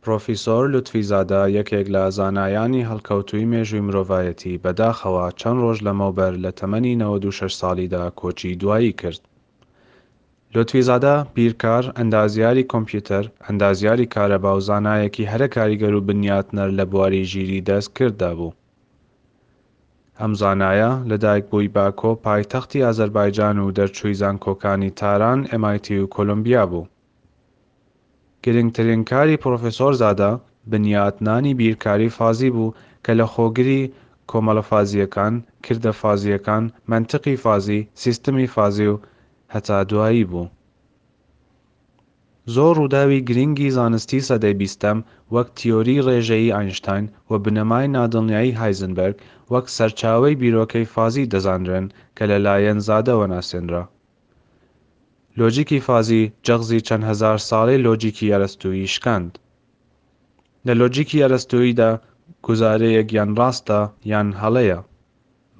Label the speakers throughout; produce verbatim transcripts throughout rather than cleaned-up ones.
Speaker 1: پرۆفیسۆر لوتفیزادە یەکێک لە زانایانی هەڵکەوتووی مێژووی مرۆڤایەتی بەداخەوە چەند ڕۆژ لەمەوبەر لە تەمەنی نەوەد و شەش ساڵیدا کۆچی دوایی کرد. لوتفیزادە بیرکار، ئەندازیاری کۆمپیوتەر، ئەندازیاری کارەبا و زانایەکی هەرە کاریگەر و بنیاتنەر لە بواری ژیری دەستکرددا بوو. ئەم زانایە لەدایکبووی باکۆ پایتەختی ئازەربایجان و دەرچووی زانکۆکانی تاران، MIT و کۆلۆمبیا بوو. گرنگترین کاری پرۆفیسۆر زادە بنیاتنانی بیرکاری فازی بوو کە لە خۆگری کۆمەڵە فازییەکان، کردە فازییەکان، مەنتقی فازی، سیستمی فازی و هەتا دوایی بوو. زۆر ڕووداوی گرنگی زانستی سەدەی بیستەم وەک تیۆری ڕێژەیی ئاینشتاین و بنەمای نادڵنیایی هایزنبەرگ وەک سەرچاوەی بیرۆکەی فازی دەزانرێن کە لەلایەن زادەوە ناسێنرا. لۆجیکی فازی جەغزی چەند هەزار ساڵەی لۆجیکی ئەرەستوویی شکاند. لە لۆجیکی ئەرەستووییدا گوزارەیەک یان ڕاستە یان هەڵەیە.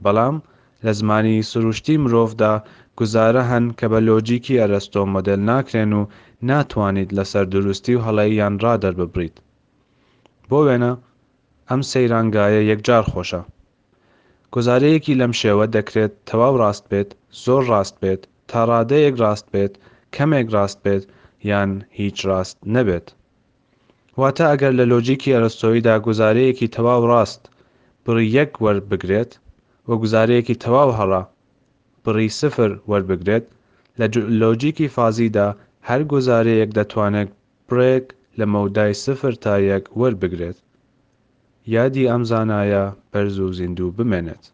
Speaker 1: بەڵام لە زمانی سروشتی مرۆڤدا گوزارە هەن کە بە لۆجیکی ئەرەستۆ مۆدێل ناکرێن و ناتوانیت لەسەر دروستی و هەڵەییان ڕا دەرببڕیت. بۆ وێنە ئەم سەیرانگایە یەکجار خۆشە. گوزارەیەکی لەم شێوە دەکرێت تەواو ڕاست بێت، زۆر ڕاست بێت، تا ڕادەیەک ڕاست بێت، کەمێک ڕاست بێت، یان هیچ ڕاست نەبێت. واتە ئەگەر لە لۆجیکی ئەرستۆییدا گوزارەیەکی تەواو ڕاست بڕی یەک وەربگرێت و گوزارەیەکی تەواو هەڵە بڕی سفر وەربگرێت، لە لۆجیکی فازیدا هەر گوزارەیەک دەتوانێت بڕێک لە مەودای سفر تا یەک وەربگرێت. یادی ئەم زانایە بەرز و زیندوو بمێنێت.